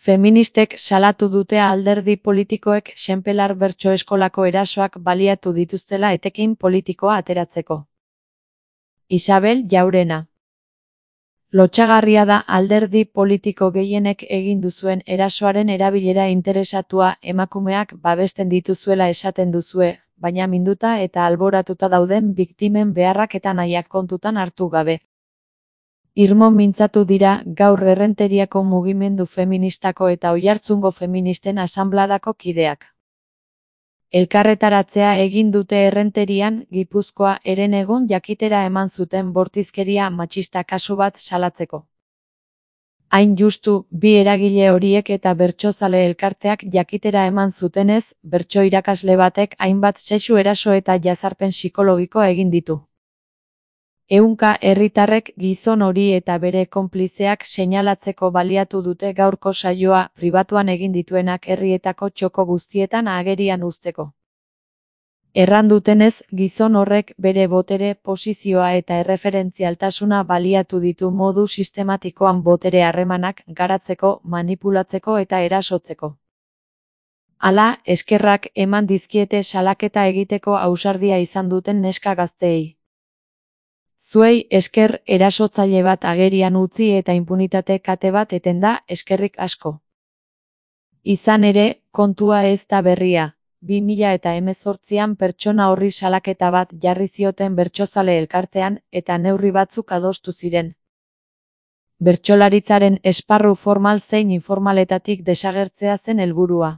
Feministek salatu dute alderdi politikoek Xenpelar bertso-eskolako erasoak baliatu dituztela etekin politikoa ateratzeko. Isabel Jaurena. Lotsagarria da alderdi politiko gehienek egin duzuen erasoaren erabilera interesatua emakumeak babesten dituzuela esaten duzue, baina minduta eta alboratuta dauden biktimen beharrak eta nahiak kontutan hartu gabe. Irmo mintzatu dira gaur Errenteriako mugimendu feministako eta Oiartzungo feministen asanbladako kideak. Elkarretaratzea egin dute Errenterian, Gipuzkoa herenegun jakitera eman zuten bortizkeria matxista kasu bat salatzeko. Hain justu, bi eragile horiek eta bertsozale elkarteak jakitera eman zutenez, bertso irakasle batek hainbat sexu eraso eta jazarpen psikologikoa egin ditu. Ehunka herritarrek gizon hori eta bere konplizeak seinalatzeko baliatu dute gaurko saioa pribatuan egin dituenak herrietako txoko guztietan agerian uzteko. Erran dutenez, gizon horrek bere botere, posizioa eta erreferentzialtasuna baliatu ditu modu sistematikoan botere harremanak garatzeko, manipulatzeko eta erasotzeko. Hala, eskerrak eman dizkiete salaketa egiteko ausardia izan duten neska gazteei. Zuei esker erasotzaile bat agerian utzi eta inpunitate kate bat eten da, eskerrik asko. Izan ere, kontua ez da berria. 2018an pertsona horri salaketa bat jarri zioten bertsozale elkartean eta neurri batzuk adostu ziren. Bertsolaritzaren esparru formal zein informaletatik desagertzea zen helburua.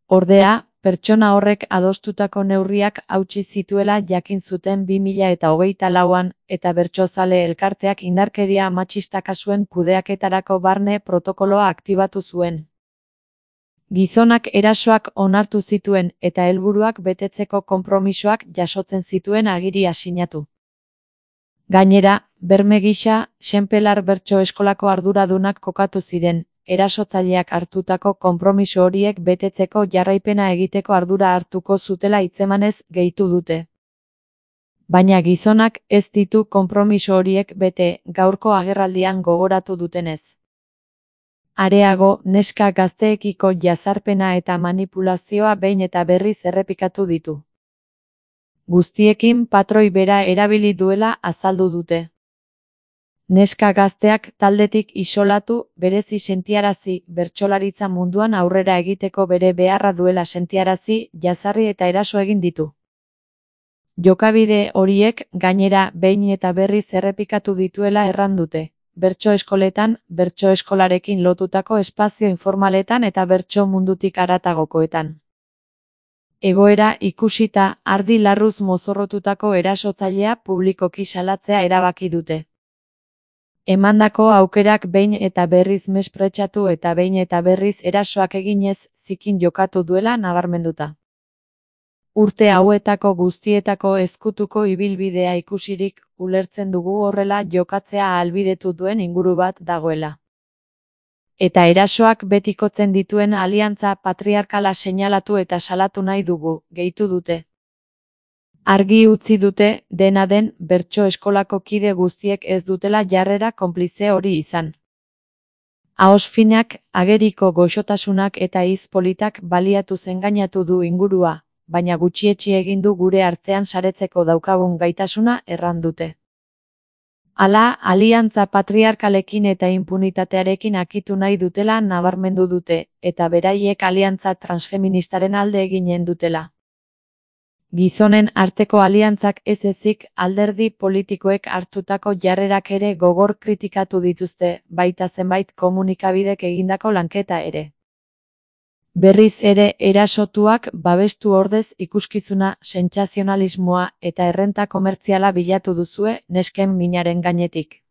Ordea, pertsona horrek adostutako neurriak hautsi zituela jakin zuten 2024an eta bertsozale elkarteak indarkeria matxista kasuen kudeaketarako barne protokoloa aktibatu zuen. Gizonak erasoak onartu zituen eta helburuak betetzeko konpromisoak jasotzen zituen agiria sinatu. Gainera, berme gisa, Xenpelar bertso-eskolako arduradunak kokatu ziren, erasotzaileak hartutako konpromiso horiek betetzeko jarraipena egiteko ardura hartuko zutela hitzemanez gehitu dute. Baina gizonak ez ditu konpromiso horiek bete, gaurko agerraldian gogoratu dutenez. Areago, neska gazteekiko jazarpena eta manipulazioa behin eta berriz errepikatu ditu. Guztiekin patroi bera erabili duela azaldu dute. Neska gazteak taldetik isolatu, berezi sentiarazi, bertsolaritza munduan aurrera egiteko bere beharra duela sentiarazi, jazarri eta eraso egin ditu. Jokabide horiek, gainera, behin eta berriz errepikatu dituela erran dute. Bertso eskoletan, bertso eskolarekin lotutako espazio informaletan eta bertso mundutik haratagokoetan. Egoera ikusita, ardi larruz mozorrotutako erasotzailea publikoki salatzea erabaki dute. Emandako aukerak behin eta berriz mespretxatu eta behin eta berriz erasoak eginez zikin jokatu duela nabarmenduta. Urte hauetako guztietako ezkutuko ibilbidea ikusirik, ulertzen dugu horrela jokatzea ahalbidetu duen inguru bat dagoela. Eta erasoak betikotzen dituen aliantza patriarkala seinalatu eta salatu nahi dugu, gehitu dute. Argi utzi dute, dena den, bertso eskolako kide guztiek ez dutela jarrera konplize hori izan. Ahoz finak, ageriko goxotasunak eta hitz politak baliatu engainatu du ingurua, baina gutxietsi egin du gure artean saretzeko daukagun gaitasuna erran dute. Hala, aliantza patriarkalekin eta impunitatearekin akitu nahi dutela nabarmendu dute, eta beraiek aliantza transfeministaren alde eginen dutela. Gizonen arteko aliantzak ez ezik alderdi politikoek hartutako jarrerak ere gogor kritikatu dituzte, baita zenbait komunikabidek egindako lanketa ere. Berriz ere erasotuak babestu ordez ikuskizuna, sentsazionalismoa eta errenta komertziala bilatu duzue nesken minaren gainetik.